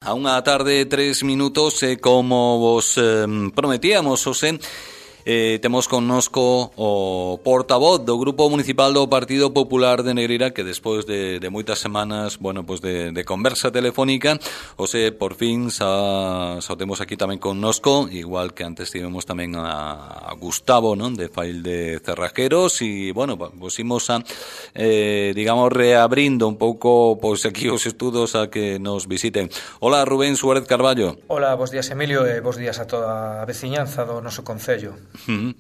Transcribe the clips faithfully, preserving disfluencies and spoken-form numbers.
A unha tarde, tres minutos, e como vos eh, prometíamos, José, eh, temos connosco o portavoz do Grupo Municipal do Partido Popular de Negreira, que despois de, de moitas semanas, bueno, pues de, de conversa telefónica, José, por fin xa, xa o temos aquí tamén connosco, igual que antes tivemos tamén a, a Gustavo, non, de Fail de Cerrajeros, e, bueno, pues imos a, eh, digamos, reabrindo un pouco, pois, aquí os estudos a que nos visiten. Hola, Rubén Suárez Carballo. Hola, bos días, Emilio, e bos días a toda a veciñanza do noso concello. Uh-huh.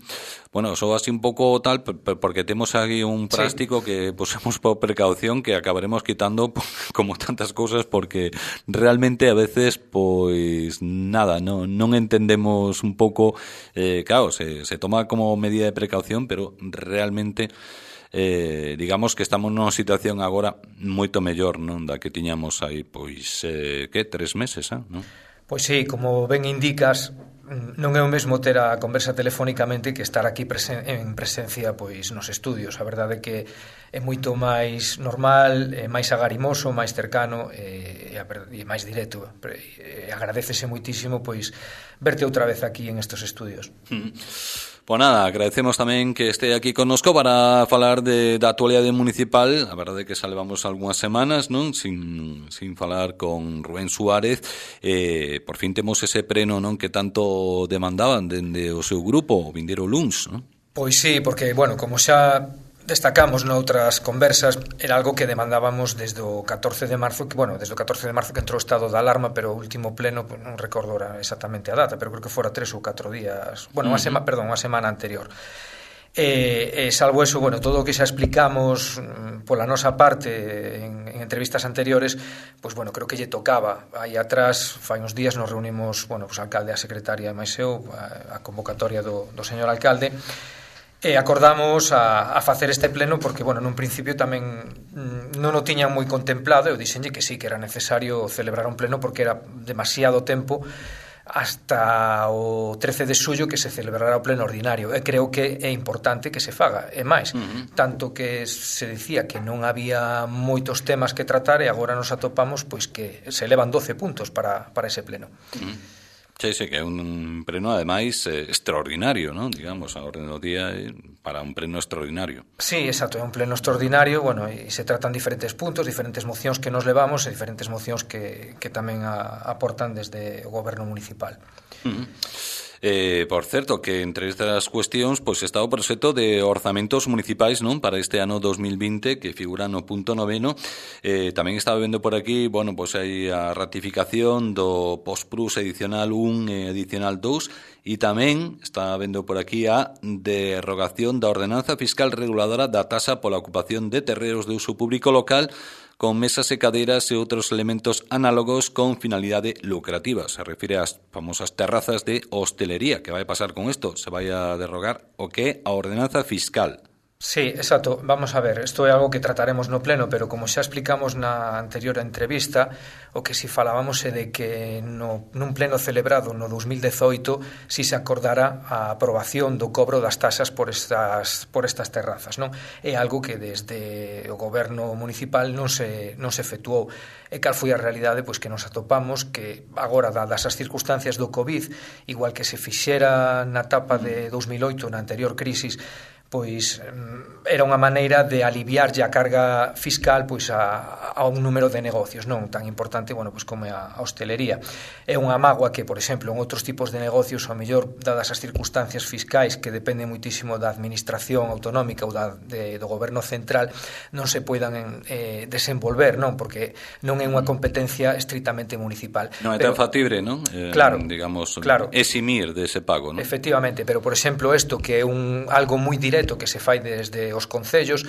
Bueno, só así un pouco tal, porque temos aquí un práctico sí. que posemos por precaución que acabaremos quitando como tantas cousas, porque realmente a veces, pois, nada, no, non entendemos un pouco, eh, claro, se, se toma como medida de precaución, pero realmente... Eh, digamos que estamos nunha situación agora moito mellor, non, da que tiñamos aí, pois, eh, que, tres meses, ah, non? Pois sí, como ben indicas, non é o mesmo ter a conversa telefónicamente que estar aquí presen- en presencia, pois, nos estudios. A verdade é que é moito máis normal, é máis agarimoso, máis cercano e, e máis directo. E agradecese moitísimo, pois, verte outra vez aquí en estos estudios. Mm. Pois nada, agradecemos tamén que este aquí connosco para falar de, da actualidade municipal. A verdade é que xa levamos algunhas semanas, non, sin, sin falar con Rubén Suárez. Eh, por fin temos ese preno, non, que tanto demandaban dende o seu grupo, o vindeiro luns, non? Pois sí, porque, bueno, como xa destacamos noutras conversas, era algo que demandábamos desde o catorce de marzo, que, bueno, desde o catorce de marzo que entrou o estado de alarma, pero o último pleno, pues, non recordo exactamente a data, pero creo que fora tres ou catro días, bueno, unha semana, perdón, unha semana anterior. E, e salvo eso, bueno, todo o que xa explicamos pola nosa parte en, en entrevistas anteriores, pois, bueno, creo que lle tocaba. Aí atrás, fai uns días, nos reunimos, bueno, pues, alcalde, a secretaria e máis eu, a, a convocatoria do, do señor alcalde, e acordamos a, a facer este pleno porque, bueno, nun principio tamén non o tiñan moi contemplado. Eu dixenlle que sí, que era necesario celebrar un pleno porque era demasiado tempo hasta o trece de xullo que se celebrará o pleno ordinario, e creo que é importante que se faga. E máis, uh-huh. tanto que se dicía que non había moitos temas que tratar, e agora nos atopamos pois que se elevan doce puntos para, para ese pleno. Uh-huh. Sí, sí, que é un pleno, ademais, eh, extraordinario, non? Digamos, a orden do día eh, para un pleno extraordinario. Sí, exacto, é un pleno extraordinario, bueno, e se tratan diferentes puntos, diferentes mocións que nos levamos e diferentes mocións que, que tamén a, aportan desde o goberno municipal. Uh-huh. Eh, por certo, que entre estas cuestións pois está o proxecto de orzamentos municipais, non, para este ano dos mil vinte, que figura no punto noveno. Eh, tamén estaba vendo por aquí, bueno, pois hai a ratificación do Postprus edicional un e edicional dous, e tamén está vendo por aquí a derrogación da ordenanza fiscal reguladora da taxa pola ocupación de terreos de uso público local, con mesas e cadeiras e outros elementos análogos con finalidade lucrativa. Se refire ás famosas terrazas de hostelería. Que vai pasar con isto? Se vai a derrogar o que é a ordenanza fiscal. Sí, exacto. Vamos a ver, isto é algo que trataremos no pleno, pero como xa explicamos na anterior entrevista, o que si falábamos é de que no, nun pleno celebrado no dos mil dezoito si se acordara a aprobación do cobro das taxas por estas, por estas terrazas, non? É algo que desde o goberno municipal non se, non se efetuou. E cal foi a realidade? Pois que nos atopamos que agora, dadas as circunstancias do COVID, igual que se fixera na etapa de dos mil oito, na anterior crisis, pois era unha maneira de aliviarlle a carga fiscal pois a, a un número de negocios non tan importante, bueno, pois como a, a hostelería. É unha mágoa que, por exemplo, en outros tipos de negocios, ao mellor, dadas as circunstancias fiscais que dependen muitísimo da administración autonómica ou da, de, do goberno central, non se poidan eh, desenvolver, non? Porque non é unha competencia estritamente municipal. Non é tan factible, non? Eh, claro, digamos, claro. eximir dese pago, non? Efectivamente, pero, por exemplo, isto que é un, algo moi directo que se fai desde os concellos,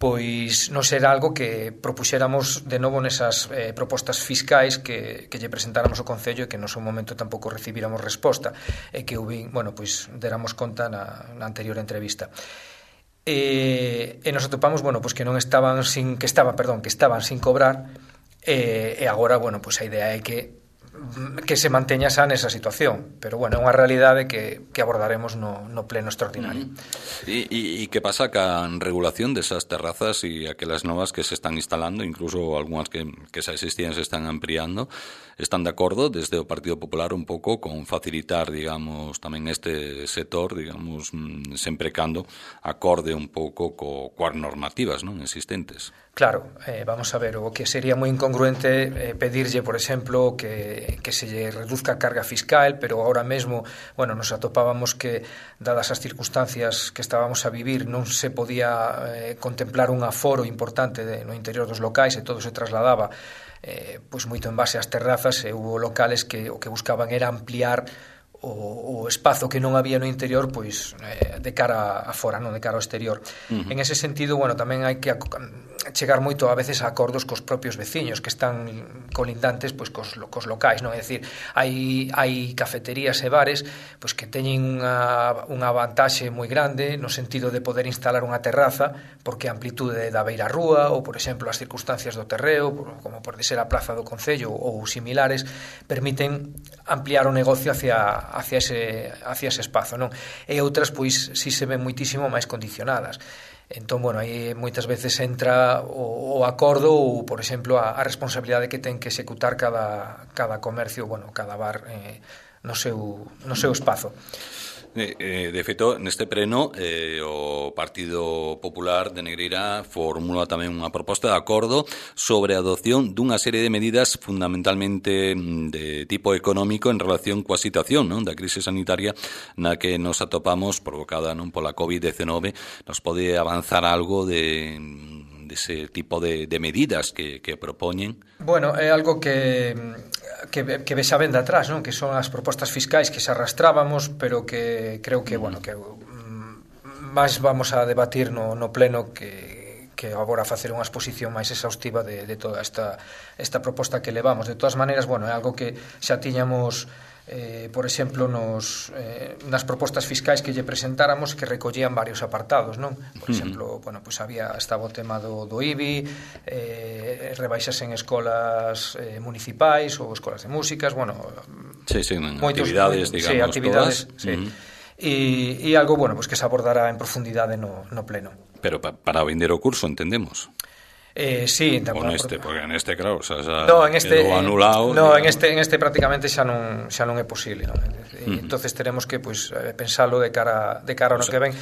pois non será algo que propuxéramos de novo nesas eh, propostas fiscais que, que lle presentáramos ao concello e que no seu momento tampouco recibíramos resposta e que, bueno, pois deramos conta na, na anterior entrevista. E, e nos atopamos, bueno, pois que non estaban sin que estaban, perdón, que estaban sin cobrar e, e agora, bueno, pois a idea é que que se manteña xa nesa situación, pero bueno, é unha realidade que, que abordaremos no, no pleno extraordinario. Uh-huh. E, e, e que pasa ca regulación desas terrazas e aquelas novas que se están instalando, incluso algunhas que, que xa existían se están ampliando? Están de acordo desde o Partido Popular un pouco con facilitar, digamos, tamén este sector, digamos, sempre cando acorde un pouco co, coas normativas, non, existentes? Claro, eh, vamos a ver, o que sería moi incongruente eh, pedirlle, por exemplo, que, que se lle reduzca a carga fiscal, pero ahora mesmo, bueno, nos atopábamos que, dadas as circunstancias que estábamos a vivir, non se podía eh, contemplar un aforo importante de, no interior dos locais e todo se trasladaba eh, pois moito en base ás terrazas, e hubo locales que o que buscaban era ampliar o, o espazo que non había no interior, pois eh, de cara a fora, non de cara ao exterior. Uh-huh. En ese sentido, bueno, tamén hai que chegar moito a veces a acordos cos propios veciños que están colindantes pois cos, cos locais, non? É dicir, hai, hai cafeterías e bares pois que teñen unha, unha vantaxe moi grande no sentido de poder instalar unha terraza porque a amplitude da beira rúa ou, por exemplo, as circunstancias do terreo, como pode ser a Plaza do Concello ou similares, permiten ampliar o negocio hacia hacia ese, hacia ese espazo, non? E outras, pois, si se ven moitísimo máis condicionadas. Entón, bueno, aí moitas veces entra o, o acordo ou, por exemplo, a, a responsabilidade que ten que executar cada, cada comercio, bueno, cada bar eh, no seu, no seu espazo. Eh, eh, de feito, neste pleno eh, o Partido Popular de Negreira formula tamén unha proposta de acordo sobre a adopción dunha serie de medidas fundamentalmente de tipo económico en relación coa situación, non, da crise sanitaria na que nos atopamos provocada, non, pola covid diecinueve. Nos pode avanzar algo de ese tipo de, de medidas que, que propoñen? Bueno, é algo que que, que vexa ben de atrás, non? Que son as propostas fiscais que se arrastrábamos, pero que creo que, bueno, que máis vamos a debatir no, no pleno que, que agora facer unha exposición máis exhaustiva de, de toda esta, esta proposta que levamos. De todas maneiras, bueno, é algo que xa tiñamos Eh, por exemplo, nos, eh, nas propostas fiscais que lle presentáramos que recollían varios apartados, non? Por exemplo, bueno, pues había, estaba o tema do, do I B I, eh, rebaixas en escolas eh, municipais ou escolas de músicas, bueno, sí, sí, moitos, actividades, digamos, sí, actividades, todas. Sí. Uh-huh. E, e algo, bueno, pues que se abordará en profundidade no, no pleno. Pero pa, para vender o curso, entendemos. Eh, sí, o neste, porque en este, claro, o sea, xa no, en este, quedou anulado. No, en este, en este prácticamente xa non, xa non é posible, non? E, uh-huh. Entonces teremos que, pues, pensalo de cara, de cara ao no o sea, que ven,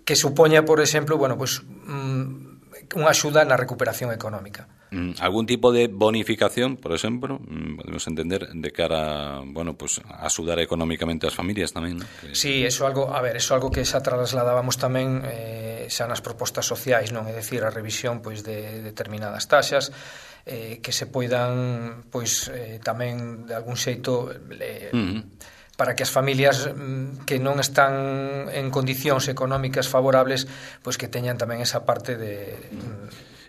que supoña, por exemplo, bueno, pues, um, unha axuda na recuperación económica. Algún tipo de bonificación, por exemplo, podemos entender, de cara, bueno, pues, a axudar económicamente as familias tamén, ¿no? Que... Sí, eso algo, a ver, eso algo que xa trasladábamos tamén eh, xa nas propostas sociais, non? É dicir, a revisión, pois, de determinadas taxas, eh, que se poidan, pois, eh, tamén de algún xeito eh, uh-huh. para que as familias que non están en condicións económicas favorables, pois que teñan tamén esa parte de...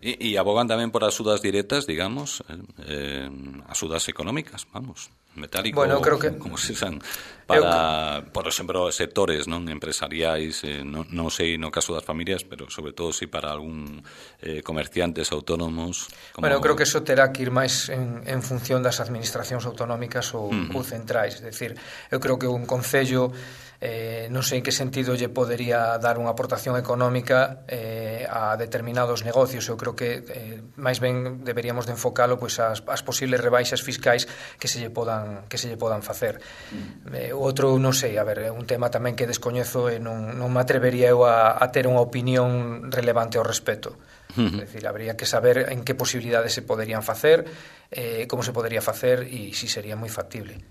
E, e abogan tamén por axudas directas, digamos, eh, axudas económicas, vamos, metálico, bueno, creo que, como se san, para, eu, por exemplo, sectores non empresariais, eh, non, non sei no caso das familias, pero sobre todo si para algún eh, comerciantes autónomos. Como... Bueno, eu creo que eso terá que ir máis en, en función das administracións autonómicas ou, uh-huh. ou centrais, é dicir, eu creo que un concello Eh, non sei en que sentido lle podería dar unha aportación económica eh, a determinados negocios. Eu creo que eh, máis ben deberíamos de enfocalo pois ás, ás posibles rebaixas fiscais que se lle podan, que se lle podan facer. Eh, outro, non sei, a ver, é un tema tamén que descoñezo e non, non me atrevería eu a, a ter unha opinión relevante ao respecto. Uh-huh. É dicir, habría que saber en que posibilidades se poderían facer, eh, como se podería facer e si sería moi factible.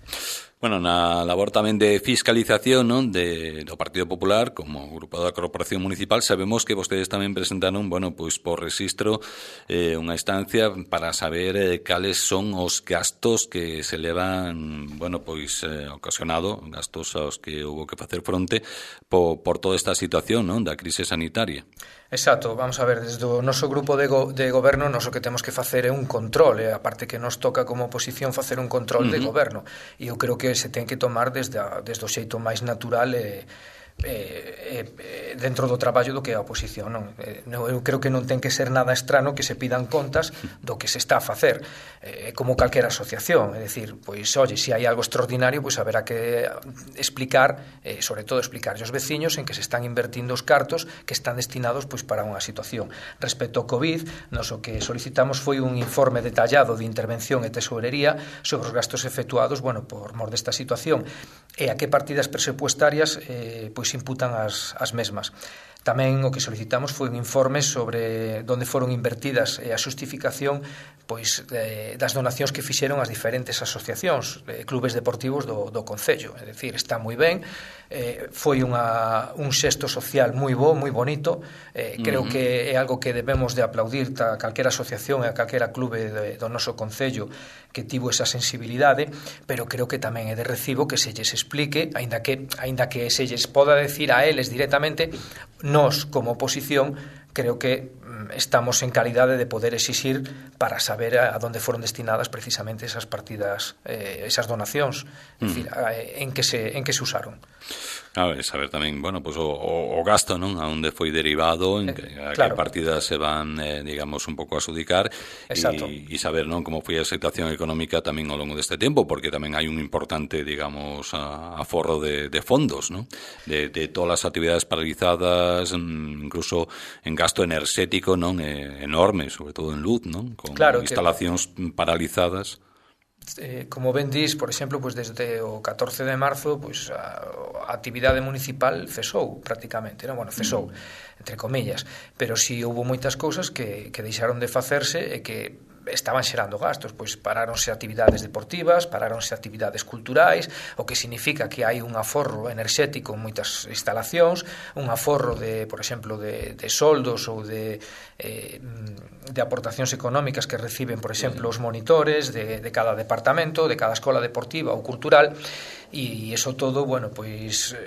Bueno, na labor tamén de fiscalización, non, de, do Partido Popular como grupo da Corporación Municipal, sabemos que vostedes tamén presentaron, bueno, pois por registro eh, unha instancia para saber eh, cales son os gastos que se levan, bueno, pois eh, ocasionado, gastos aos que houve que facer fronte por, por toda esta situación, non, da crise sanitaria. Exacto, vamos a ver, desde o noso grupo de, go, de goberno nos o que temos que facer é un control, e aparte que nos toca como oposición facer un control uh-huh. de goberno, e eu creo que se ten que tomar desde, a, desde o xeito máis natural e eh, eh, dentro do traballo do que é a oposición, non? Eh, eu creo que non ten que ser nada estrano que se pidan contas do que se está a facer, eh, como calquera asociación, é dicir, pois, oye, se hai algo extraordinario, pois haberá que explicar, eh, sobre todo explicar aos veciños en que se están invertindo os cartos que están destinados pois para unha situación. Respecto ao COVID, nos o que solicitamos foi un informe detallado de intervención e tesorería sobre os gastos efectuados, bueno, por mor desta situación e a que partidas presupuestarias eh, pois imputan as, as mesmas. Tamén o que solicitamos foi un informe sobre onde foron invertidas e a xustificación pois eh, das donacións que fixeron as diferentes asociacións, eh, clubes deportivos do, do Concello. É dicir, está moi ben, eh, foi unha, un xesto social moi bo, moi bonito, eh, creo uh-huh. que é algo que debemos de aplaudir a calquera asociación e a calquera clube de, do noso Concello que tivo esa sensibilidade, pero creo que tamén é de recibo que se lles explique, aínda que, aínda que se lles poda decir a eles directamente, nós, como oposición, creo que estamos en calidade de poder exixir para saber a, a donde foron destinadas precisamente esas partidas, eh, esas donacións, mm. é dicir, a, en que se en que se usaron. A ver, saber tamén, bueno, pues o, o, o gasto, non? A onde foi derivado, en que, a claro. que partidas se van, eh, digamos, un pouco a adjudicar e saber, non, como foi a situación económica tamén ao longo deste tempo, porque tamén hai un importante, digamos, a, aforro de, de fondos, non? De, de todas as actividades paralizadas, incluso en gasto enerxético, non? Eh, enorme, sobre todo en luz, non? Con claro, instalacións que... paralizadas. Eh, como ben dis, por exemplo, pues desde o catorce de marzo pues, a, a actividade municipal cesou prácticamente, non? Bueno, cesou, entre comillas, pero si houve moitas cousas que, que deixaron de facerse e que estaban xerando gastos, pois paráronse actividades deportivas, paráronse actividades culturais, o que significa que hai un aforro enerxético en moitas instalacións, un aforro de, por exemplo, de, de soldos ou de, eh, de aportacións económicas que reciben, por exemplo, os monitores de, de cada departamento, de cada escola deportiva ou cultural, e iso todo, bueno, pois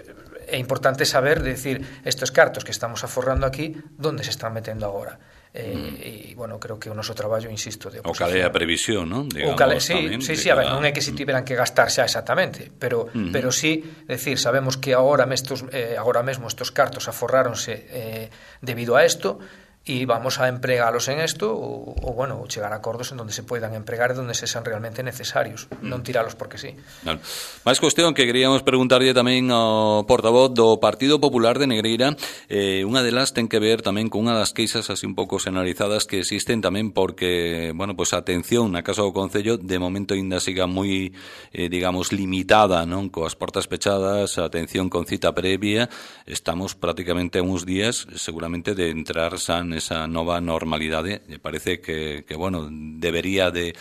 é importante saber, de decir, estes cartos que estamos aforrando aquí, onde se están metendo agora? Eh, mm. E, bueno, creo que o noso traballo, insisto, de oposición. O cale a previsión, non? Digamos, o cale, sí, tamén, sí, sí, a ver, non é que se tiveran que gastar xa exactamente, pero, mm. pero sí, decir, sabemos que agora, mestos, eh, agora mesmo estos cartos aforráronse eh, debido a isto, e vamos a empregalos en isto ou, ou, bueno, chegar a acordos en donde se poidan empregar e donde se sean realmente necesarios, mm. non tiralos porque sí. Claro. Mais cuestión que queríamos preguntarlle tamén ao portavoz do Partido Popular de Negreira, eh, unha delas ten que ver tamén con unha das queixas así un pouco xenalizadas que existen tamén porque, bueno, pues a atención na Casa do Concello de momento ainda siga moi, eh, digamos, limitada, non? Coas portas pechadas, a atención con cita previa, estamos prácticamente a uns días seguramente de entrar xa esa nova normalidade. Me parece que, que bueno, debería de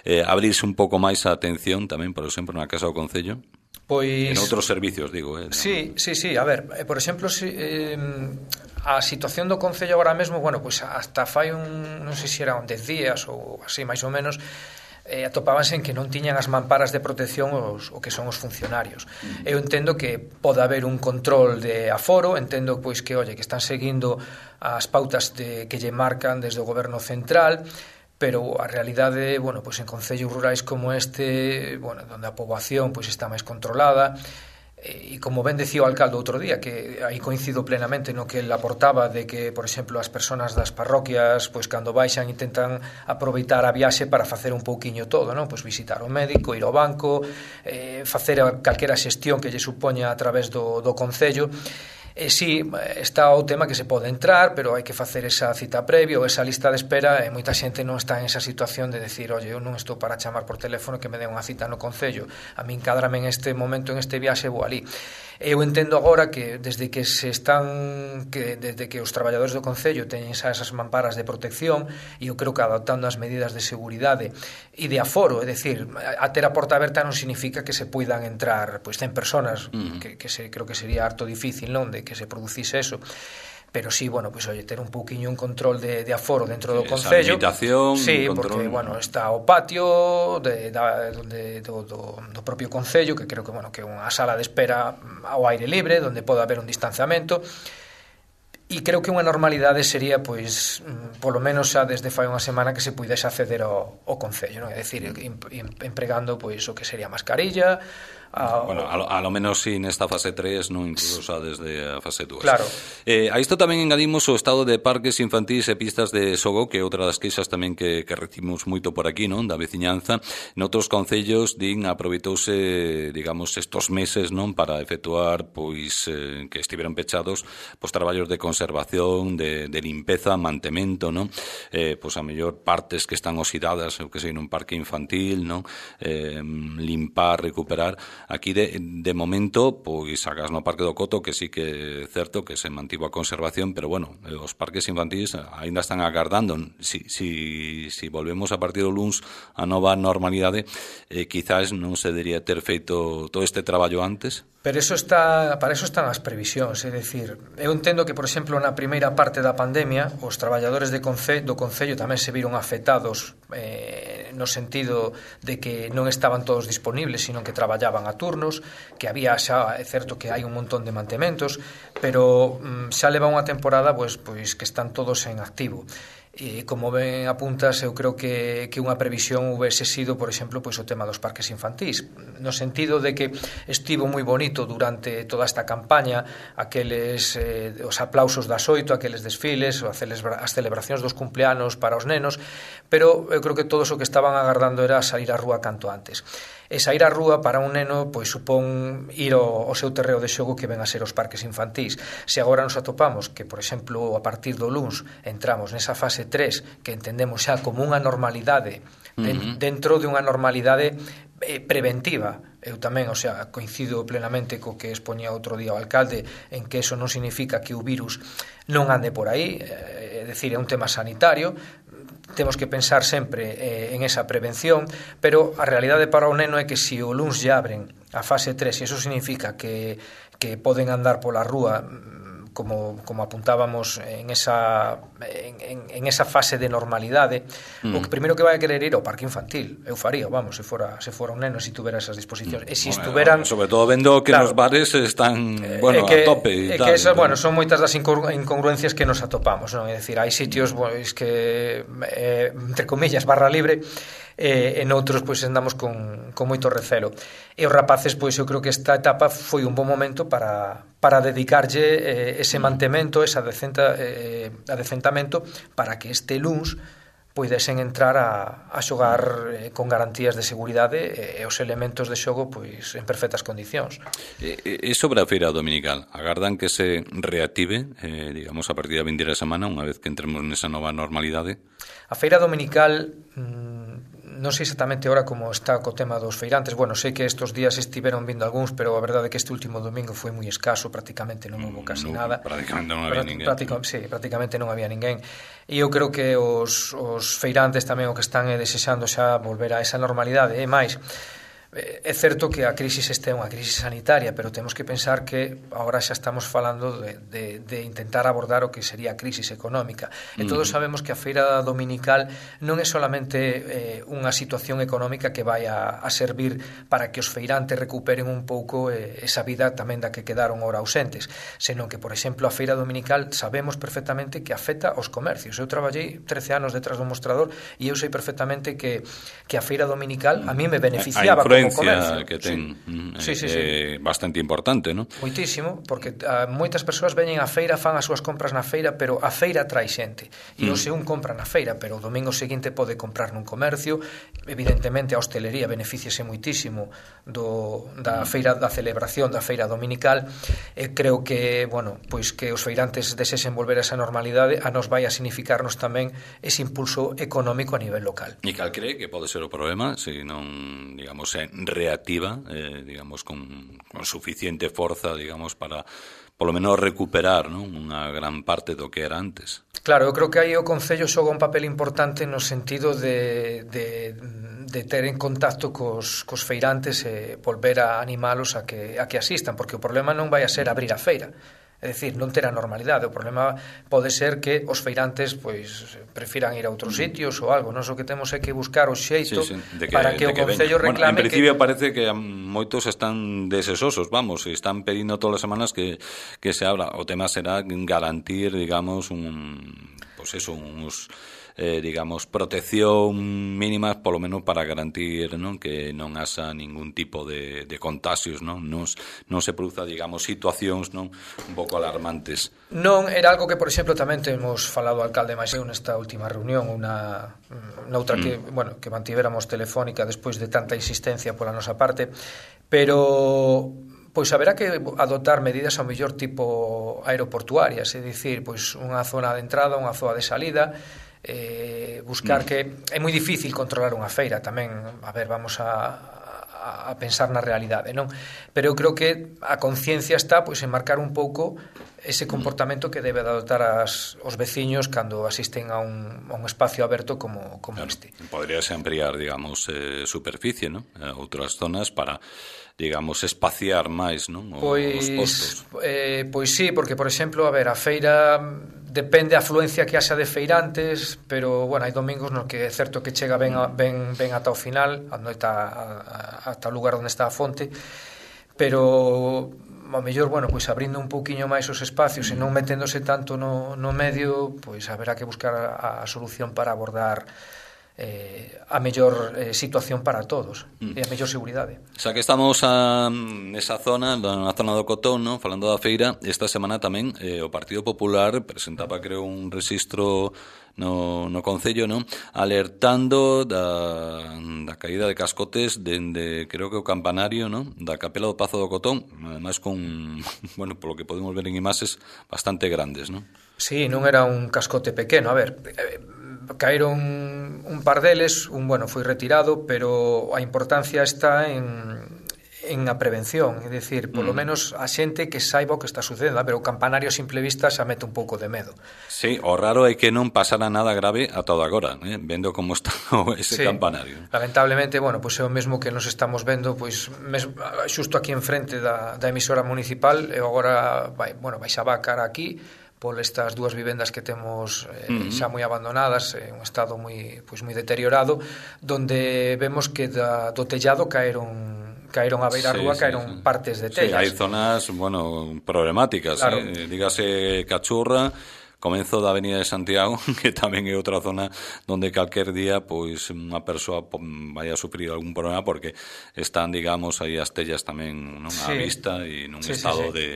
eh, abrirse un pouco máis a atención tamén, por exemplo, na Casa do Concello. Pois... En outros servicios, digo. Eh, sí, sí, sí, a ver, eh, por exemplo, si, eh, a situación do Concello agora mesmo, bueno, pois hasta fai un, non sei se era un dez días ou así, máis ou menos, eh, atopábanse en que non tiñan as mamparas de protección os, o que son os funcionarios. Eu entendo que pode haber un control de aforo, entendo pois que, oye, que están seguindo as pautas de, que lle marcan desde o goberno central, pero a realidade, bueno, pois en concellos rurais como este, bueno, onde a poboación pois está máis controlada, e como ben decía o alcalde outro día, que aí coincido plenamente no que ele aportaba de que, por exemplo, as persoas das parroquias, pois cando baixan intentan aproveitar a viaxe para facer un pouquiño todo, non? Pois visitar o médico, ir ao banco, eh, facer calquera xestión que lle supoña a través do, do concello. E sí, está o tema que se pode entrar, pero hai que facer esa cita previa ou esa lista de espera, e moita xente non está en esa situación de decir, oye, eu non estou para chamar por teléfono que me den unha cita no concello, a min cádrame en este momento, en este viaxe, vou ali. Eu entendo agora que desde que se están que desde que os traballadores do concello teñen xa esas mamparas de protección, e eu creo que adaptando as medidas de seguridade e de aforo, é dicir, a ter a porta aberta non significa que se poidan entrar pois cen personas, uh-huh. que, que se, creo que sería harto difícil, non, de que se producise eso. Pero sí, bueno, pois, pues, oye, ter un pouquiño un control de, de aforo dentro do concello. Esa limitación, sí, control... porque, bueno, está o patio de, da, donde, do, do, do propio concello, que creo que, bueno, que é unha sala de espera ao aire libre, donde pode haber un distanciamento. E creo que unha normalidade sería, pois, polo menos xa desde fai unha semana que se puidese acceder ao, ao concello, non? É dicir, empregando, pois, o que sería a mascarilla, a, bueno, a lo, a lo menos si nesta fase tres, non incluso xa desde a fase dúas. Claro. Eh, a isto tamén engadimos o estado de parques infantís e pistas de xogo, que é outra das queixas tamén que, que recibimos moito por aquí, non, da veciñanza. Noutros concellos din aproveitouse, digamos, estos meses, non, para efectuar, pois, eh, que estiveron pechados, pois, traballos de conservación, de, de limpeza, mantemento, non, eh, pois, a mellor partes que están oxidadas, eu que sei, nun parque infantil, non, eh, limpar, recuperar. Aquí, de, de momento, pois, sacas no Parque do Coto, que sí que é certo que se mantivo a conservación, pero, bueno, os parques infantís aínda están agardando. Si, si, si volvemos a partir do luns a nova normalidade, eh, quizás non se debería ter feito todo este traballo antes. Pero eso está, para eso están as previsións, é dicir, eu entendo que, por exemplo, na primeira parte da pandemia, os traballadores de conce, do Concello tamén se viron afectados eh, no sentido de que non estaban todos disponibles, sino que traballaban a turnos, que había xa, é certo que hai un montón de mantementos, pero mm, xa leva unha temporada pois, pois que están todos en activo. E como ben apuntas, eu creo que, que unha previsión houvese sido, por exemplo, pois o tema dos parques infantís, no sentido de que estivo moi bonito durante toda esta campaña, aqueles eh, os aplausos das oito, aqueles desfiles, as celebracións dos cumpleanos para os nenos, pero eu creo que todos o que estaban agardando era sair á rúa canto antes. E sair á rúa para un neno pois supón ir ao, ao seu terreo de xogo que ven a ser os parques infantís. Se agora nos atopamos que, por exemplo, a partir do luns entramos nesa fase tres que entendemos xa como unha normalidade, uh-huh. dentro de unha normalidade eh, preventiva. Eu tamén, o sea, coincido plenamente co que expoñía outro día o alcalde en que eso non significa que o virus non ande por aí, é dicir, é un tema sanitario. Temos que pensar sempre eh, en esa prevención, pero a realidade para o neno é que se o luns ya abren a fase tres, e iso significa que, que poden andar pola rúa como, como apuntábamos en esa, en, en, en esa fase de normalidade, mm. o que primeiro que vai a querer ir ao parque infantil. Eu faría, vamos, se fora, se fora un neno, se tuvera esas disposicións. Mm. E se estuveran... Bueno, sobre todo vendo que claro, nos bares están, bueno, que, a tope e tal. Que esas, bueno, son moitas das incongruencias que nos atopamos, non? É dicir, hai sitios pois, que, eh, entre comillas, barra libre, e en outros pois andamos con, con moito recelo. E os rapaces, pois eu creo que esta etapa foi un bon momento para, para dedicarlle eh, ese mantemento, esa decenta, eh, adecentamento, para que este luns poidesen entrar a, a xogar eh, con garantías de seguridade e, e os elementos de xogo pois en perfectas condicións. E, e sobre a feira dominical, agardan que se reactive, eh, digamos, a partir da vindeira semana, unha vez que entremos nesa nova normalidade? A feira dominical... Mmm, non sei exactamente ahora como está co tema dos feirantes. Bueno, sei que estes días estiveron vindo algúns, pero a verdade é que este último domingo foi moi escaso, prácticamente non houve casi no, nada. Prácticamente non había ninguén. Práctica, sí, prácticamente non había ninguén. E eu creo que os, os feirantes tamén o que están é desexando xa volver a esa normalidade. E máis, é certo que a crisis este é unha crisis sanitaria, pero temos que pensar que agora xa estamos falando de, de, de intentar abordar o que sería a crisis económica. E todos sabemos que a feira dominical non é solamente eh, unha situación económica que vai a, a servir para que os feirantes recuperen un pouco eh, esa vida tamén da que quedaron ora ausentes, senón que, por exemplo, a feira dominical sabemos perfectamente que afecta aos comercios. Eu traballei trece anos detrás do mostrador e eu sei perfectamente que, que a feira dominical a mí me beneficiaba como comercio. Que ten sí. Sí, sí, sí. É bastante importante, non? Moitísimo, porque uh, moitas persoas veñen á feira, fan as súas compras na feira, pero a feira trae xente. E mm. o se un compra na feira, pero o domingo seguinte pode comprar nun comercio. Evidentemente a hostelería beneficiase moitísimo do, da feira, da celebración da feira dominical. E creo que, bueno, pois que os feirantes desexen volver a esa normalidade, a nos vai a significarnos tamén ese impulso económico a nivel local. E cal cree que pode ser o problema se non, digamos, é reactiva, eh, digamos, con, con suficiente forza, digamos, para polo menos recuperar, non, unha gran parte do que era antes. Claro, eu creo que aí o Concello xoga un papel importante no sentido de, de, de ter en contacto cos, cos feirantes e volver a animalos a que, a que asistan, porque o problema non vai a ser abrir a feira. É dicir, non ter a normalidade. O problema pode ser que os feirantes pois prefiran ir a outros sitios ou algo. Nós o que temos é que buscar o xeito sí, sí, que, para que o Concello que reclame... Bueno, en principio que... parece que moitos están desesosos, vamos, e están pedindo todas as semanas que, que se abra. O tema será garantir, digamos, un, pues eso, uns... eh, digamos, protección mínima, polo menos para garantir, non, que non haxa ningún tipo de, de contagios, non? Non, non se produza, digamos, situacións, non, un pouco alarmantes. Non, era algo que, por exemplo, tamén temos falado ao alcalde máis eu nesta última reunión, unha noutra mm. que, bueno, que mantivéramos telefónica despois de tanta insistencia pola nosa parte, pero pois haberá que adoptar medidas ao mellor tipo aeroportuarias, é dicir, pois unha zona de entrada, unha zona de salida, eh, buscar mm. que é moi difícil controlar unha feira tamén, a ver, vamos a a pensar na realidade, non? Pero eu creo que a conciencia está pois en marcar un pouco ese comportamento que debe de adoptar as, os veciños cando asisten a un, a un espacio aberto como, como claro, este. Podríase ampliar, digamos, eh, superficie, non? A outras zonas para, digamos, espaciar máis, non? O, pois, os postos. Eh, pois sí, porque, por exemplo, a ver, a feira depende a afluencia que haxa de feirantes, pero, bueno, hai domingos no que é certo que chega ben, a, ben, ben ata o final, ata o lugar onde está a fonte, pero ao mellor, bueno, pois abrindo un pouquiño máis os espacios e non meténdose tanto no, no medio, pois haberá que buscar a, a solución para abordar eh, a mellor eh, situación para todos mm. e a mellor seguridade. Xa que estamos a, nesa zona, na zona do Cotón, ¿no? Falando da feira, esta semana tamén eh, o Partido Popular presentaba, creo, un rexistro no, no Concello, ¿no? Alertando da, da caída de cascotes dende, creo que o campanario, ¿no? Da capela do Pazo do Cotón, además con, bueno, polo que podemos ver en imaxes, bastante grandes, ¿no? Sí, non era un cascote pequeno, a ver, eh, caeron un par deles, un, bueno, foi retirado, pero a importancia está en en a prevención, é dicir, polo mm. menos a xente que saiba o que está sucedendo, a ver, o campanario a simple vista xa mete un pouco de medo. Sí, o raro é que non pasara nada grave a todo agora, eh? Vendo como está ese sí. campanario. Lamentablemente, bueno, pois é o mesmo que nos estamos vendo, pois mes, xusto aquí enfrente da, da emisora municipal, e agora vai, bueno, vai xa vacar aquí por estas dúas vivendas que temos eh, uh-huh. xa moi abandonadas, en un estado moi pois moi deteriorado, donde vemos que da, do tellado caeron caeron a beira sí, rúa, sí, caeron sí. partes de tellas. Sí, hai zonas, bueno, problemáticas, claro. eh? Dígase Cachurra, comenzo da Avenida de Santiago, que tamén é outra zona onde calquer día pois unha persoa vai a sufrir algún problema porque están, digamos, aí as tellas tamén, non, á sí. vista e nun sí, estado sí, sí. de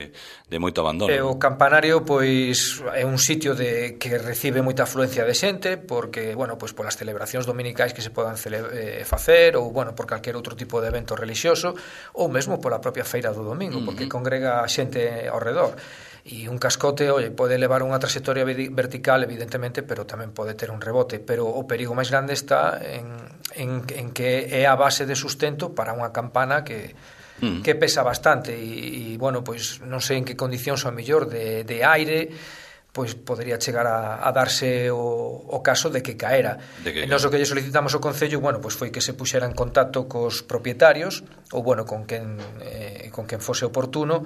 de moito abandono. E o campanario pois é un sitio de que recibe moita afluencia de xente porque, bueno, pois polas celebracións dominicais que se podan cele- eh, facer ou, bueno, por calquer outro tipo de evento relixioso ou mesmo pola propia feira do domingo, uh-huh. porque congrega a xente ao redor. E un cascote, oye, pode levar unha trayectoria vertical, evidentemente, pero tamén pode ter un rebote. Pero o perigo máis grande está en, en, en que é a base de sustento para unha campana que, mm. que pesa bastante. E, e, bueno, pois non sei en que condicións ao mellor de, de aire, pois podería chegar a, a darse o, o caso de que caera. De que... E nós o que lle solicitamos ao Concello, bueno, pois foi que se puxera en contacto cos propietarios, ou, bueno, con quen, eh, con quen fose oportuno,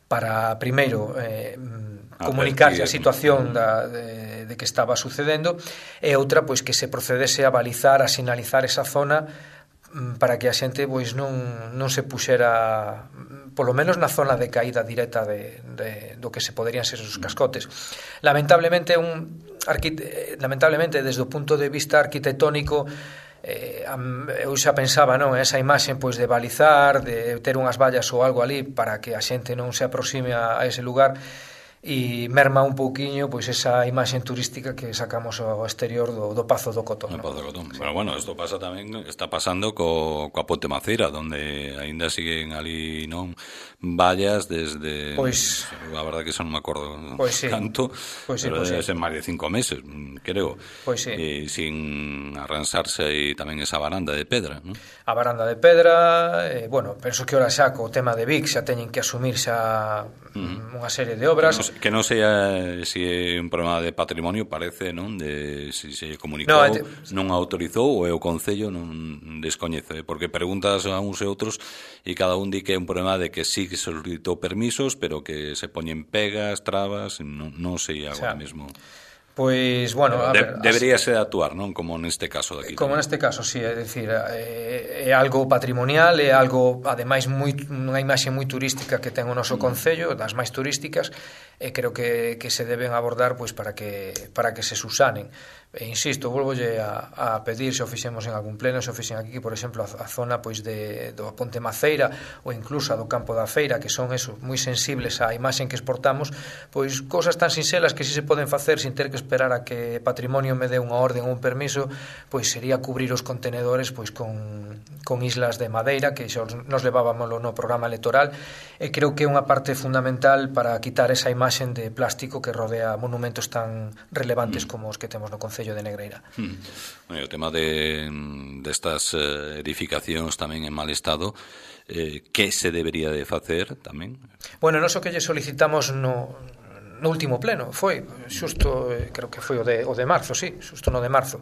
para primeiro eh, comunicarse a situación da, de, de que estaba sucedendo e outra, pois que se procedese a balizar, a sinalizar esa zona para que a xente pois non, non se puxera polo menos na zona de caída directa de, de, do que se poderían ser os cascotes. Lamentablemente un arquite, lamentablemente desde o punto de vista arquitectónico Eh, eu xa pensaba, non, esa imaxe pois de balizar, de ter unhas vallas ou algo ali para que a xente non se aproxime a, a ese lugar e merma un pouquiño pois esa imaxe turística que sacamos ao exterior do, do Pazo do Cotón. No Pazo do Cotón. Sí. Pero bueno, isto pasa tamén, está pasando co, coa Ponte Maceira, donde aínda siguen ali, non, vallas desde, pois, a verdade que xa non me acordo pois sí. tanto, pois sí, pero pois debe sí. ser máis de cinco meses, creo. Pois sí. E sin arransarse aí tamén esa baranda de pedra, non? A baranda de pedra, eh, bueno, penso que ora xa co tema de Vic xa teñen que asumir xa uh-huh. unha serie de obras. Que non sea se é un problema de patrimonio, parece, non? De se se comunicou, no, te... non autorizou ou é o Concello, non descoñece, porque preguntas a uns e outros e cada un di que é un problema de que sí que solicitou permisos, pero que se poñen pegas, trabas, non, non sei agora o sea, mesmo. Pois, bueno, a de, ver, debería ser actuar, non? Como neste caso de aquí. Como neste caso, sí, é dicir, é, é algo patrimonial, é algo, ademais, moi, unha imaxe moi turística que ten o noso Concello, das máis turísticas, e creo que, que se deben abordar pois para que para que se susanen. E insisto, volvolle a, a pedir, se o fixemos en algún pleno, se o fixen aquí, por exemplo, a, a zona pois de, do Ponte Maceira ou incluso a do Campo da Feira, que son eso, moi sensibles á imaxen que exportamos, pois cousas tan sinxelas que si se poden facer sin ter que esperar a que Patrimonio me dé unha orden ou un permiso, pois sería cubrir os contenedores pois con, con islas de madeira, que xa nos levábamoslo no programa electoral, e creo que é unha parte fundamental para quitar esa imaxen de plástico que rodea monumentos tan relevantes mm. como os que temos no Concello de Negreira. Hmm. Bueno, o tema de destas de eh, edificacións tamén en mal estado, eh, que se debería de facer tamén? Bueno, non só que lle solicitamos no, no último pleno, foi xusto, eh, creo que foi o de, o de marzo, sí, xusto no de marzo.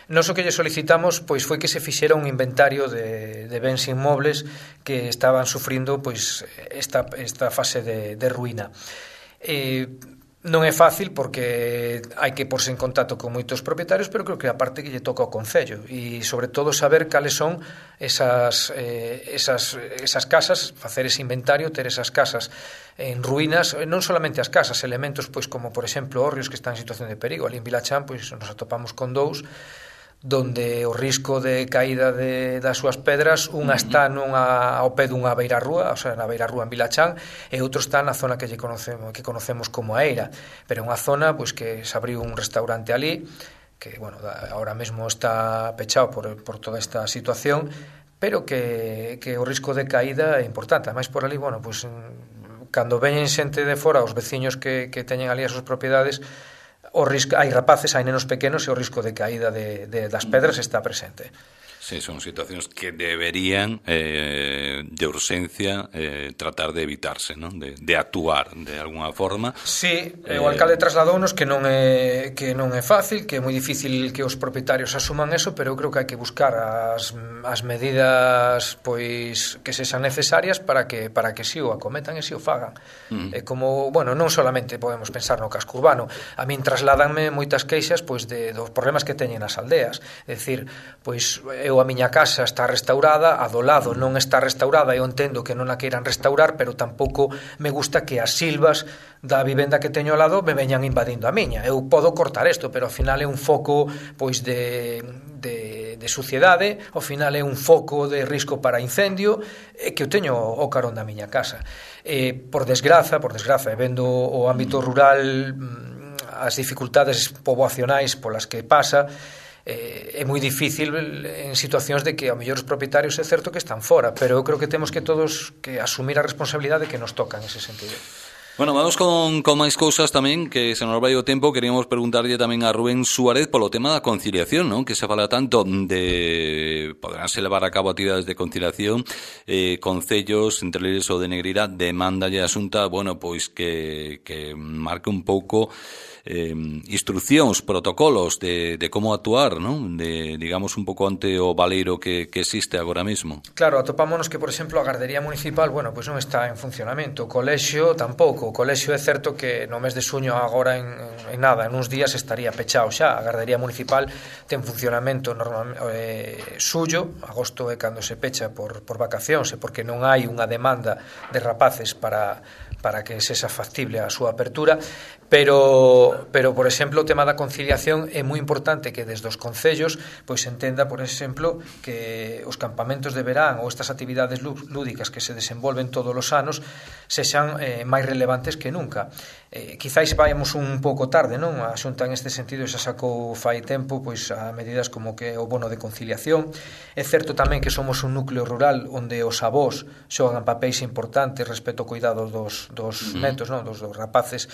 Non só que lle solicitamos pois foi que se fixera un inventario de, de bens inmobles que estaban sufrindo pois esta, esta fase de, de ruína. Eh, Non é fácil porque hai que porse en contacto con moitos propietarios, pero creo que a parte que lle toca ao Concello e sobre todo saber cales son esas, eh, esas, esas casas, facer ese inventario, ter esas casas en ruínas, non solamente as casas, elementos pois como por exemplo hórreos que están en situación de perigo. Ali en Vilachán pois nos atopamos con dous donde o risco de caída de, das súas pedras, unha está nunha, ao pé dunha beirarrúa, o sea, na beirarrúa en Vilachán, e outro está na zona que lle conocemos, que conocemos como a Eira, pero é unha zona pois que se abriu un restaurante ali, que, bueno, ahora mesmo está pechado por, por toda esta situación, pero que, que o risco de caída é importante. Ademais, por ali, bueno, pois, cando veñen xente de fora, os veciños que, que teñen ali as súas propiedades, o risco, hai rapaces, hai nenos pequenos e o risco de caída de, de, das pedras está presente. Sí, son situacións que deberían eh, de urxencia eh, tratar de evitarse, ¿no? de, de actuar de alguna forma. Sí, eh, o alcalde trasladounos que non é que non é fácil, que é moi difícil que os propietarios asuman eso, pero eu creo que hai que buscar as, as medidas pois que sexan necesarias para que para que si o acometan e si o fagan. Mm. É como, bueno, non solamente podemos pensar no casco urbano. A min trasladanme moitas queixas pois de dos problemas que teñen as aldeas. É dicir, pois eu a miña casa está restaurada, a do lado non está restaurada, eu entendo que non a queiran restaurar, pero tampouco me gusta que as silvas da vivenda que teño ao lado me veñan invadindo a miña. Eu podo cortar isto, pero ao final é un foco pois de, de, de suciedade, ao final é un foco de risco para incendio e que eu teño o carón da miña casa. E, por desgraza, por desgraza, e vendo o ámbito rural, as dificultades poboacionais polas que pasa, é moi difícil en situacións de que ao mellor os propietarios é certo que están fora, pero eu creo que temos que todos que asumir a responsabilidade que nos toca en ese sentido. Bueno, vamos con, con máis cousas tamén, que se nos vai o tempo. Queríamos preguntarlle tamén a Rubén Suárez polo tema da conciliación, non? Que se fala tanto de poderánse levar a cabo actividades de conciliación, eh, concellos, entre eles o de Negreira, demandalle a Xunta, bueno, pois que, que marque un pouco eh, instruccións, protocolos de, de como actuar, non? De, digamos, un pouco ante o baleiro que, que existe agora mesmo. Claro, atopámonos que, por exemplo, a Gardería Municipal, bueno, pois non está en funcionamento, o colexio tampouco. O colexio é certo que no mes de xuño agora en, en nada, en uns días estaría pechado xa. A Gardería Municipal ten funcionamento normal, eh, suyo, agosto é cando se pecha por, por vacacións e porque non hai unha demanda de rapaces para para que sexa factible a súa apertura, pero, pero por exemplo, o tema da conciliación é moi importante que desde os concellos pois entenda, por exemplo, que os campamentos de verán ou estas actividades lúdicas que se desenvolven todos os anos sexan eh, máis relevantes que nunca. Eh, quizáis vayamos un pouco tarde, non? A Xunta en este sentido xa sacou fai tempo pois a medidas como que o bono de conciliación. É certo tamén que somos un núcleo rural onde os avós xogan papéis importantes respecto ao cuidado dos dos netos, non, dos, dos rapaces.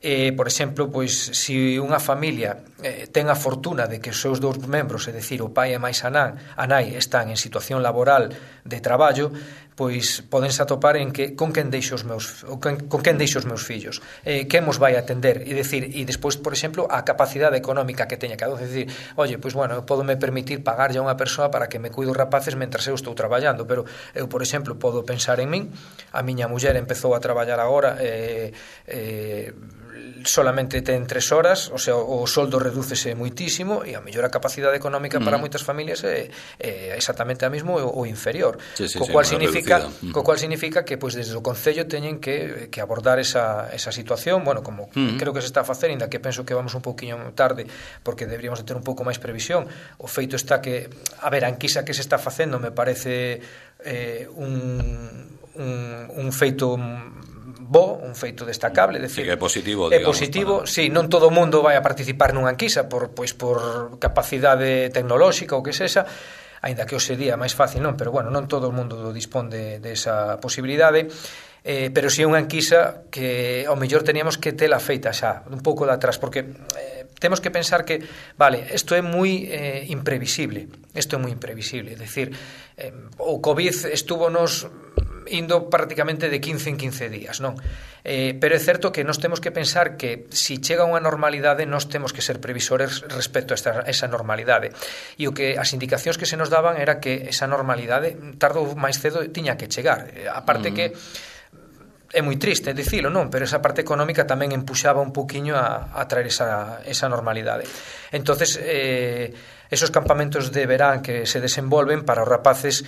Eh, por exemplo, pois se unha familia eh, ten a fortuna de que os seus dous membros, é dicir, o pai e máis a nan, a nai, están en situación laboral de traballo, pois podense atopar en que con quen deixo os meus con, con quen deixo os meus fillos, eh, quen mos vai atender, e decir, e despois, por exemplo, a capacidade económica que teña cada un, é dicir, oye, pois bueno, eu podo me permitir pagarlle a unha persoa para que me cuide os rapaces mentras eu estou traballando, pero eu, por exemplo, podo pensar en min, a miña muller empezou a traballar agora eh, eh, solamente ten tres horas, o sea, o soldo redúcese moitísimo e a mellor a capacidade económica para mm. moitas familias é, é exactamente a mesmo ou inferior, sí, sí, co cual sí, significa significa, co cual significa que pois desde o Concello teñen que, que abordar esa, esa situación, bueno, como uh-huh. creo que se está a facer, ainda que penso que vamos un pouquiño tarde, porque deberíamos de ter un pouco máis previsión. O feito está que, a ver, a enquisa que se está facendo me parece eh, un, un, un feito bo, un feito destacable, decir, sí, que é positivo, é digamos, positivo, para... sí, non todo o mundo vai a participar nunha enquisa por pois por capacidade tecnolóxica ou que sexa, aínda que o sería máis fácil, non, pero bueno, non todo o mundo dispón de, de esa posibilidade. Eh, pero si é unha enquisa que ao mellor teníamos que tela feita xa, un pouco de atrás, porque eh, temos que pensar que, vale, isto é moi eh, imprevisible, isto é moi imprevisible, é dicir, eh, o COVID estúvonos indo prácticamente de quince en quince días, non? Eh, pero é certo que nós temos que pensar que se si chega unha normalidade nós temos que ser previsores respecto a esta, esa normalidade, e o que as indicacións que se nos daban era que esa normalidade tarde ou máis cedo tiña que chegar, a parte mm. que é moi triste dicilo, non? Pero esa parte económica tamén empuxaba un poquinho a, a traer esa, esa normalidade. Entonces, eh, esos campamentos de verán que se desenvolven para os rapaces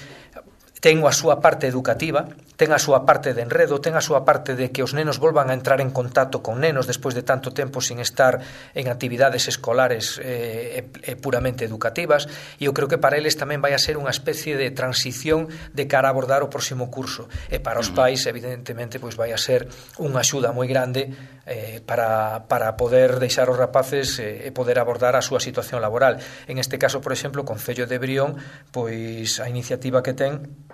ten a súa parte educativa, ten a súa parte de enredo, ten a súa parte de que os nenos volvan a entrar en contacto con nenos despois de tanto tempo sin estar en actividades escolares eh, eh, puramente educativas, e eu creo que para eles tamén vai a ser unha especie de transición de cara a abordar o próximo curso, e para os pais evidentemente pois vai a ser unha axuda moi grande eh, para, para poder deixar os rapaces eh, e poder abordar a súa situación laboral. En este caso, por exemplo, o Concello de Brión, pois a iniciativa que ten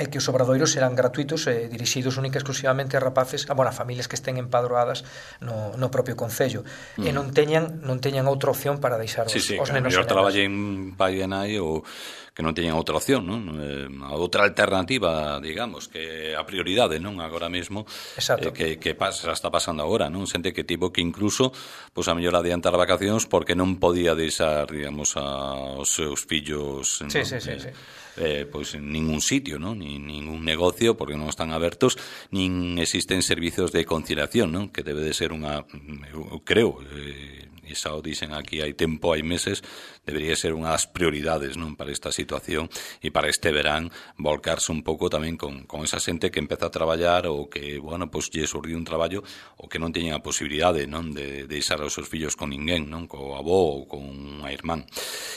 é que os obradoiros serán gratuitos e dirixidos única e exclusivamente a rapaces, a, bueno, a familias que estén empadroadas no, no propio Concello, mm. e non teñan non teñan outra opción para deixar os, sí, sí, os claro, nenos. Eu traballei en pai e nai ou que non teñan outra opción, non? Eh, a outra alternativa, digamos, que a prioridade, non? Agora mesmo, eh, que, que pasa, está pasando agora, non? Xente que tivo que incluso, pois, a mellor adiantar vacacións porque non podía deixar, digamos, a, os seus fillos, sí, non? sí, sí, eh, sí. Eh, pois en ningún sitio, ¿no? Ni ningún negocio porque non están abertos, nin existen servicios de conciliación, ¿no? Que debe de ser unha, eu creo, eh, e xa o dixen aquí hai tempo, hai meses, debería ser unha das prioridades, non, para esta situación e para este verán volcarse un pouco tamén con, con esa xente que empeza a traballar ou que, bueno, pois lle surdiu un traballo ou que non teñen a posibilidade, non, de, de deixar os seus fillos con ninguén, non, co avó ou con unha irmán.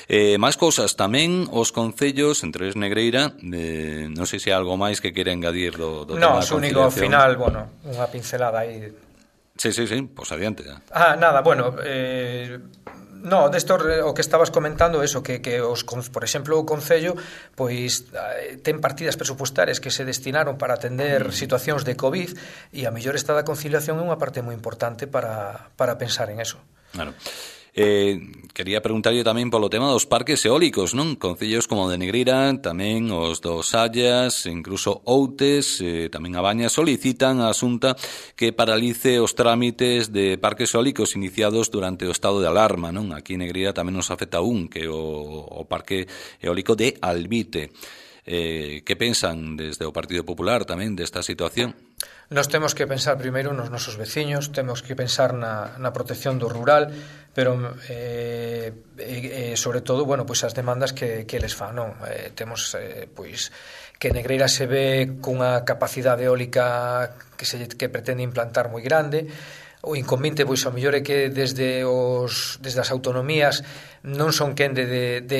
Eh, máis cousas, tamén os concellos, entre eles Negreira, eh, non sei se hai algo máis que quere engadir do, do no, tema da conciliación. No, único final, bueno, unha pincelada aí. Sí, sí, sí, pois pues adiante. Ah, nada, bueno, eh, no, desto o que estabas comentando, eso, que, que os, por exemplo, o Concello, pois ten partidas presupuestarias que se destinaron para atender mm. situacións de COVID, e a mellor esta da conciliación é unha parte moi importante para, para pensar en eso. Claro. Eh, quería preguntarlle tamén polo tema dos parques eólicos, non? Concellos como de Negreira, tamén os dos Sallas, incluso Outes, eh, tamén a Baña, solicitan a Xunta que paralice os trámites de parques eólicos iniciados durante o estado de alarma, non? Aquí en Negreira tamén nos afecta un, que o, o parque eólico de Albite. Eh, que pensan desde o Partido Popular tamén desta situación? Nos temos que pensar primeiro nos nosos veciños, temos que pensar na, na protección do rural, pero eh, eh, sobre todo, bueno, pois as demandas que, que eles fan, non? Eh, temos eh, pois que Negreira se ve cunha capacidade eólica que se que pretende implantar moi grande. O inconveniente, pois, ao mellor é que desde os desde as autonomías non son quen de, de, de,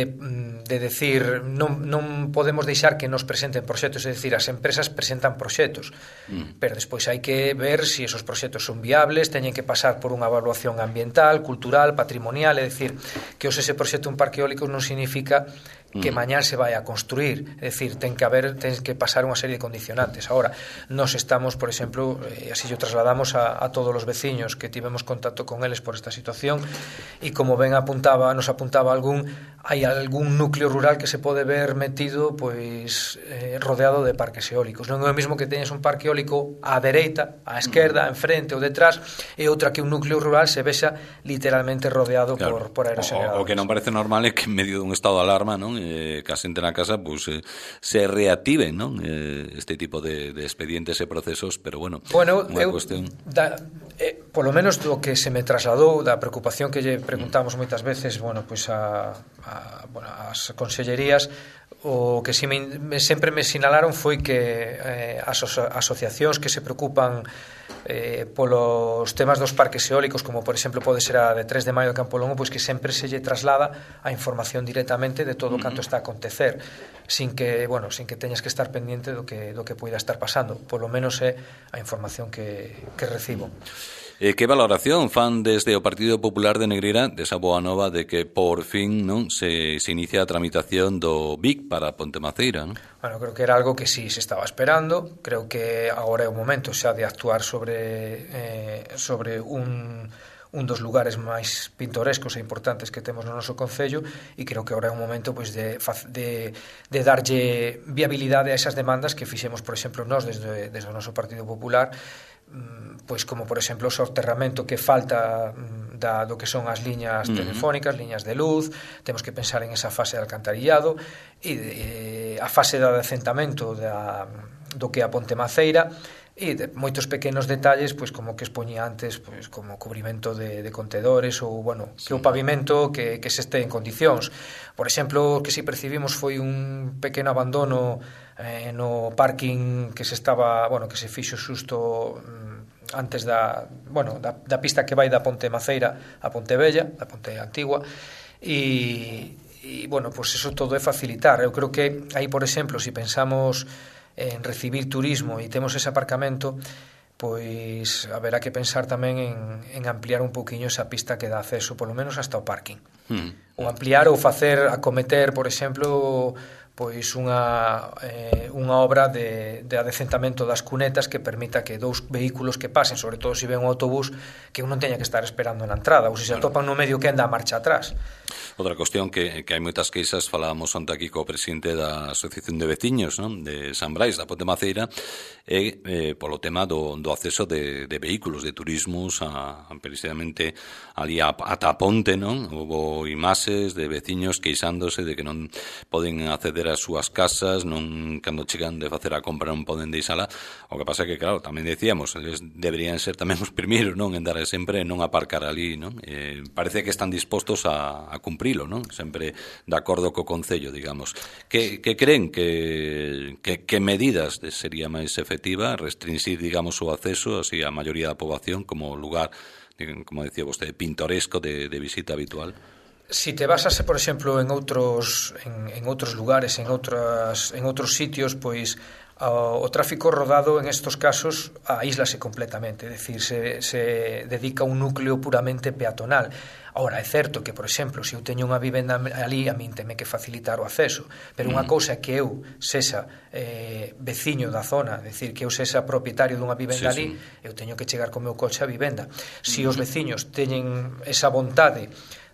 de decir non, non podemos deixar que nos presenten proxectos, é dicir, as empresas presentan proxectos, mm. pero despois hai que ver se si esos proxectos son viables, teñen que pasar por unha evaluación ambiental, cultural, patrimonial, é dicir, que os ese proxecto un parque eólico non significa que mm. mañán se vai a construir, é dicir, ten que haber, ten que pasar unha serie de condicionantes. Ahora, nos estamos, por exemplo, e así o trasladamos a, a todos os veciños que tivemos contacto con eles por esta situación, e como ben apuntaba, nos apuntaba algún, hai algún núcleo rural que se pode ver metido, pois, eh, rodeado de parques eólicos. Non é o mesmo que teñes un parque eólico á dereita, á esquerda, en frente ou detrás, e outra que un núcleo rural se vexa literalmente rodeado, claro, por, por aerogeneradores. O, o que non parece normal é que en medio dun estado de alarma, non, eh, que a xente na casa, pues, eh, se reactiven, non, eh, este tipo de, de expedientes e procesos, pero bueno, bueno unha eu, cuestión... Da, eh, polo menos do que se me trasladou, da preocupación que lle preguntamos moitas veces, bueno, pois a, a bueno, as consellerías, o que si me, sempre me sinalaron foi que eh, as asociacións que se preocupan eh, polos temas dos parques eólicos, como por exemplo pode ser a de tres de maio de Campolongo, pois que sempre se lle traslada a información directamente de todo o canto está a acontecer, sin que, bueno, sin que teñas que estar pendiente do que do que poida estar pasando. Polo menos é a información que, que recibo. Eh, que valoración fan desde o Partido Popular de Negreira desa boa nova de que por fin non se, se inicia a tramitación do B I C para Pontemaceira, non? Bueno, creo que era algo que sí se estaba esperando. Creo que agora é o momento xa de actuar sobre eh, sobre un un dos lugares máis pintorescos e importantes que temos no noso concello, e creo que agora é un momento pois de, de, de darlle viabilidade a esas demandas que fixemos, por exemplo, nós desde, desde o noso Partido Popular, pois como por exemplo o soterramento que falta da, do que son as liñas uh-huh. telefónicas, liñas de luz. Temos que pensar en esa fase de alcantarillado e de, a fase de adecentamento da, do que é a Pontemaceira, e de moitos pequenos detalles, pois como que expoñía antes, pois como cubrimento de, de contedores ou, bueno, sí. que o pavimento que, que se este en condicións. Por exemplo, o que si percibimos foi un pequeno abandono eh, no parking que se estaba, bueno, que se fixo xusto mm, antes da, bueno, da, da pista que vai da Pontemaceira a Pontevella, da Ponte Antigua, e, e bueno, pois eso todo é facilitar. Eu creo que aí, por exemplo, se si pensamos en recibir turismo e temos ese aparcamento, pois haberá que pensar tamén en, en ampliar un pouquiño esa pista que dá acceso, polo menos hasta o parking. Mm. Ou ampliar ou facer, acometer, por exemplo, pois unha, eh, unha obra de, de adecentamento das cunetas que permita que dous vehículos que pasen, sobre todo se ven un autobús, que un non teña que estar esperando na entrada, ou se se atopan no medio que anda a marcha atrás. Outra cuestión que, que hai moitas queixas, falábamos onte aquí co presidente da Asociación de Veciños, non? De San Brais, da Pontemaceira, e eh, polo tema do, do acceso de, de vehículos, de turismos a, a precisamente ali a, ata a ponte, non? Houve imaxes de veciños queixándose de que non poden acceder ás súas casas, non, cando chegan de facer a compra non poden deixala. O que pasa é que, claro, tamén decíamos, eles deberían ser tamén os primeiros, non? En dar sempre non aparcar ali, non? Eh, parece que están dispostos a, a cumprilo, non? Sempre de acordo co Concello, digamos. Que, que creen que, que, que medidas sería máis efectiva restringir, digamos, o acceso así a maioría da poboación como lugar, como decía vostede, pintoresco de, de visita habitual? Si te basase, por exemplo, en outros en, en outros lugares, en outras en outros sitios, pois o, o tráfico rodado en estos casos aíslase completamente, é dicir, se, se dedica a un núcleo puramente peatonal. Ahora, é certo que, por exemplo, se eu teño unha vivenda ali, a min teme que facilitar o acceso, pero unha cousa é que eu sexa eh, veciño da zona, é dicir, que eu sexa propietario dunha vivenda sí, ali, sí. Eu teño que chegar co meu coche á vivenda. Se os veciños teñen esa vontade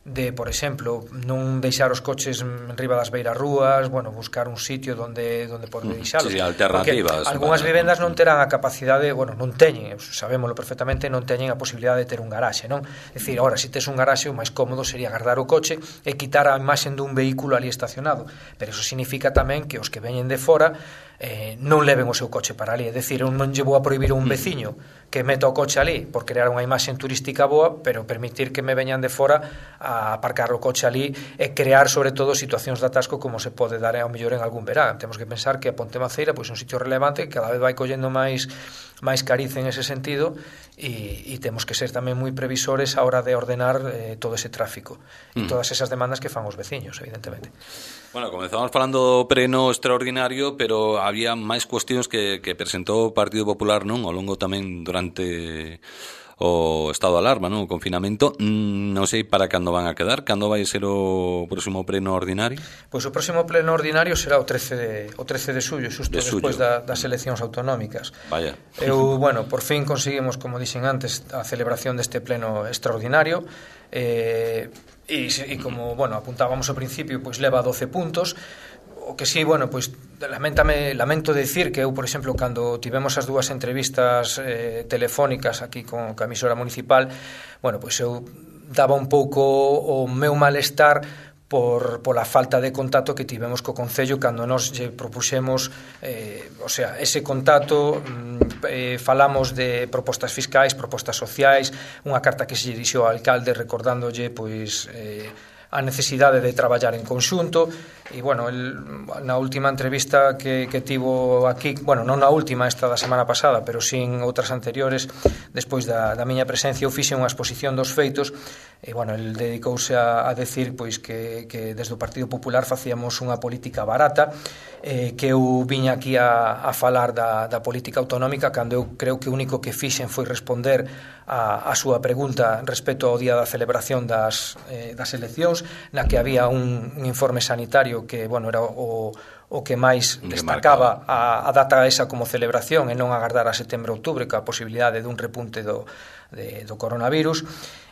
de, por exemplo, non deixar os coches enriba das beirarrúas, bueno, buscar un sitio donde donde poder deixalos. Sí, alternativas. Porque algunhas vivendas non terán a capacidade, bueno, non teñen, sabémolo perfectamente, non teñen a posibilidade de ter un garaxe, non? É dicir, agora, se tes un garaxe, o máis cómodo sería guardar o coche e quitar a imaxen dun vehículo ali estacionado. Pero eso significa tamén que os que veñen de fora eh, non leven o seu coche para ali. É dicir, eu non lle vou a prohibir a un veciño que meta o coche ali por crear unha imaxen turística boa, pero permitir que me veñan de fora a aparcar o coche ali e crear, sobre todo, situacións de atasco como se pode dar ao mellor en algún verán. Temos que pensar que a Pontemaceira pois, é un sitio relevante que cada vez vai collendo máis máis cariz en ese sentido e, e temos que ser tamén moi previsores a hora de ordenar eh, todo ese tráfico e mm. todas esas demandas que fan os veciños, evidentemente. Bueno, comezamos falando do pleno extraordinario, pero había máis cuestións que, que presentou o Partido Popular, non? Ao longo tamén durante o estado de alarma, non? O confinamento. Mm, non sei para cando van a quedar, cando vai ser o próximo pleno ordinario? Pois o próximo pleno ordinario será o trece de, o trece de xullo, xusto de despois da, das eleccións autonómicas. Vaya. Eu, bueno, por fin conseguimos, como dixen antes, a celebración deste pleno extraordinario. Eh, e, e como, bueno, apuntábamos ao principio, pois leva doce puntos. O que sí, bueno, pois lamentame, lamento decir que eu, por exemplo, cando tivemos as dúas entrevistas eh, telefónicas aquí con a emisora municipal, bueno, pois eu daba un pouco o meu malestar por pola falta de contacto que tivemos co Concello cando nos lle propuxemos, eh, o sea, ese contacto eh, falamos de propostas fiscais, propostas sociais, unha carta que se dirixou ao alcalde recordándolle pois eh, a necesidade de traballar en conxunto. E, bueno, el, na última entrevista que, que tivo aquí, bueno, non na última, esta da semana pasada, pero sin outras anteriores, despois da, da miña presencia, eu fixe unha exposición dos feitos, e, bueno, el dedicouse a, a decir pois que, que desde o Partido Popular facíamos unha política barata, eh, que eu viña aquí a, a falar da, da política autonómica, cando eu creo que o único que fixen foi responder a, a súa pregunta respecto ao día da celebración das, eh, das eleccións, na que había un, un informe sanitario que, bueno, era o, o que máis destacaba a, a data esa como celebración e non agardar a setembro-outubro ca posibilidade dun repunte do, de, do coronavirus.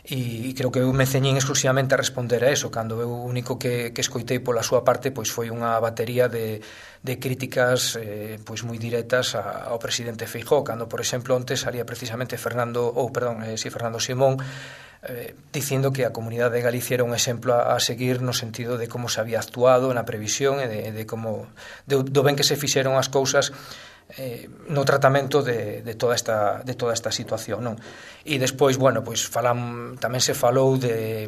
E, e creo que eu me ceñín exclusivamente a responder a eso, cando eu o único que, que escoitei pola súa parte pois foi unha batería de, de críticas eh, pois moi directas a, ao presidente Feijóo, cando, por exemplo, onte salía precisamente Fernando, ou perdón, eh, si Fernando Simón, eh, dicindo que a Comunidade de Galicia era un exemplo a, a seguir no sentido de como se había actuado na previsión e de, de como de, do ben que se fixeron as cousas eh, no tratamento de, de toda esta de toda esta situación, non? E despois, bueno, pois falam, tamén se falou de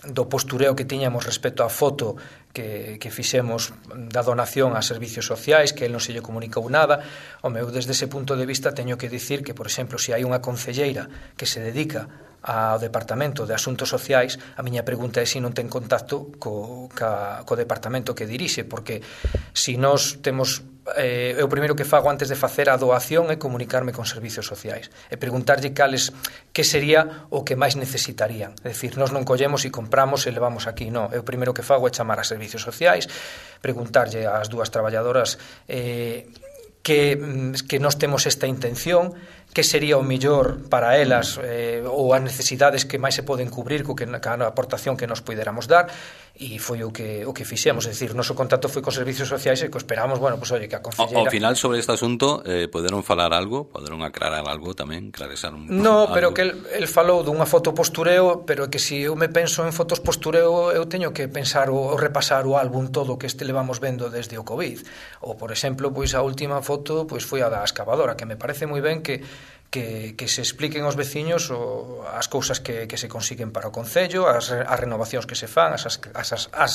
do postureo que tiñamos respecto á foto que, que fixemos da donación a servicios sociais, que el non se lle comunicou nada. O meu, desde ese punto de vista, teño que dicir que, por exemplo, se hai unha concelleira que se dedica ao Departamento de Asuntos Sociais, a miña pregunta é se non ten contacto co, ca, co departamento que dirixe, porque se nós temos eh, eu primeiro que fago antes de facer a doación é comunicarme con servicios sociais e preguntarlle cales que sería o que máis necesitarían. É dicir, nós non collemos e compramos e levamos aquí, non. Eu primeiro que fago é chamar a servicios sociais, preguntarlle ás dúas traballadoras eh, que, que nós temos esta intención, que sería o mellor para elas eh, ou as necesidades que máis se poden cubrir co que a aportación que nos puidéramos dar, e foi o que o que fixemos. É dicir, o noso contacto foi con servicios sociais e que esperamos, bueno, pues oye, que a concelleira... Ao final, sobre este asunto, eh, poderon falar algo? Poderon aclarar algo tamén? Clarear un... No, algo. Pero que el, el falou dunha foto postureo, pero que se eu me penso en fotos postureo, eu teño que pensar ou repasar o álbum todo que este levamos vendo desde o COVID. Ou, por exemplo, pois a última foto pois foi a da excavadora, que me parece moi ben que Que, que se expliquen aos veciños o, as cousas que, que se consiguen para o Concello, as, as renovacións que se fan, as, as, as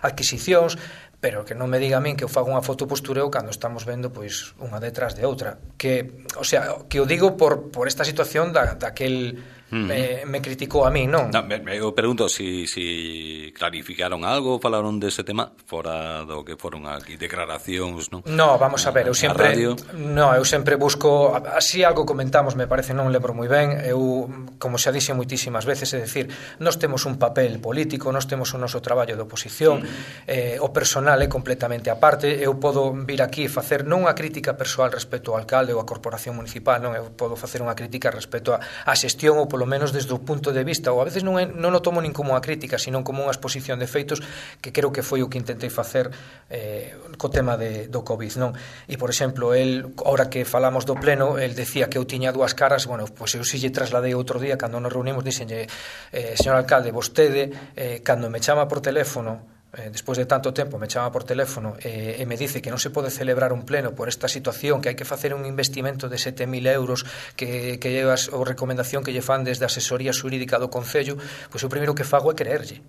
adquisicións, pero que non me diga a min que eu fago unha foto postureo cando estamos vendo pois unha detrás de outra. Que, o sea, que o digo por, por esta situación da, daquel uh-huh. me, me criticou a mí, non? No, me, me, eu pregunto si, si clarificaron algo, falaron dese tema fora do que foron aquí declaracións, non? No, vamos a ver, eu sempre no, eu sempre busco, así algo comentamos, me parece, non lembro moi ben, eu, como xa dixe moitísimas veces, é dicir, nós temos un papel político, nós temos o noso traballo de oposición, uh-huh. eh, o personal é completamente aparte, eu podo vir aquí e facer non unha crítica persoal respecto ao alcalde ou á corporación municipal, non, eu podo facer unha crítica respecto á xestión, ou polo menos desde o punto de vista, ou a veces non, é, non o tomo nin como unha crítica, sino como unha exposición de feitos, que creo que foi o que intentei facer eh, co tema de, do COVID, non? E, por exemplo, el, ahora que falamos do pleno, el decía que eu tiña dúas caras, bueno, pois eu si lle trasladei outro día, cando nos reunimos, dixenlle, eh, señor alcalde, vostede, eh, cando me chama por teléfono, Eh, despois de tanto tempo me chama por teléfono eh, e me dice que non se pode celebrar un pleno por esta situación, que hai que facer un investimento de sete mil euros que, que llevas, ou recomendación que lle fan desde a asesoría xurídica do Concello, pois o primeiro que fago é creerlle.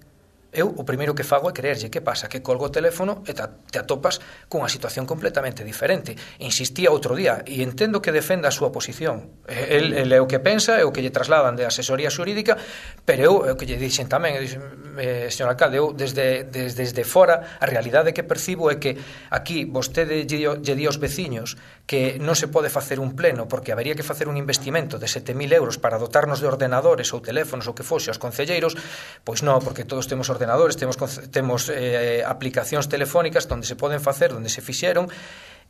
Eu o primeiro que fago é creerlle. Que pasa? Que colgo o teléfono e te atopas cunha situación completamente diferente. Insistía outro día e entendo que defenda a súa posición. El, el é o que pensa, é o que lle trasladan de asesoría xurídica, pero eu é o que lle dixen tamén, dixen, eh, señor alcalde, eu desde, desde, desde fora a realidade que percibo é que aquí vostede lle, lle di aos veciños que non se pode facer un pleno porque habería que facer un investimento de sete mil euros para dotarnos de ordenadores ou teléfonos ou que fose aos concelleiros, pois non, porque todos temos ordenadores ordenadores, temos, temos eh, aplicacións telefónicas onde se poden facer, onde se fixeron,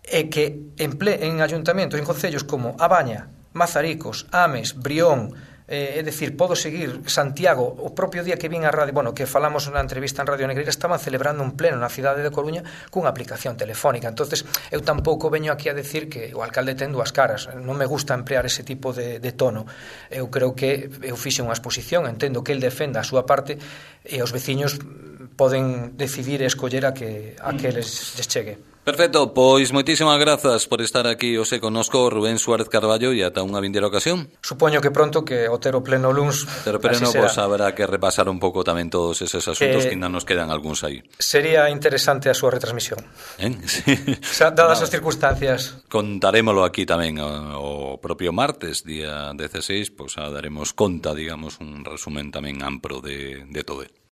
e que en, ple, en ayuntamentos, en concellos como A Baña, Mazaricos, Ames, Brión, eh, é dicir, podo seguir, Santiago, o propio día que vin a radio, bueno, que falamos na entrevista en Radio Negreira, estaban celebrando un pleno na cidade de Coruña cunha aplicación telefónica. Entonces, eu tampouco veño aquí a decir que o alcalde ten dúas caras, non me gusta emplear ese tipo de, de tono. Eu creo que eu fixe unha exposición, entendo que el defenda a súa parte e os veciños poden decidir e escoller a que, a que les, les chegue. Perfecto, pois moitísimas grazas por estar aquí hoxe connosco, Rubén Suárez Carballo, e ata unha vindeira ocasión. Supoño que pronto, que o ter o pleno luns, Pero pleno, pois haberá que repasar un pouco tamén todos eses asuntos eh, que ainda nos quedan algúns aí. Sería interesante a súa retransmisión. ¿Eh? Sí. O sea, dadas no. as circunstancias. Contarémolo aquí tamén o, o propio martes, día dieciséis, pois a daremos conta, digamos, un resumen tamén amplo de, de todo.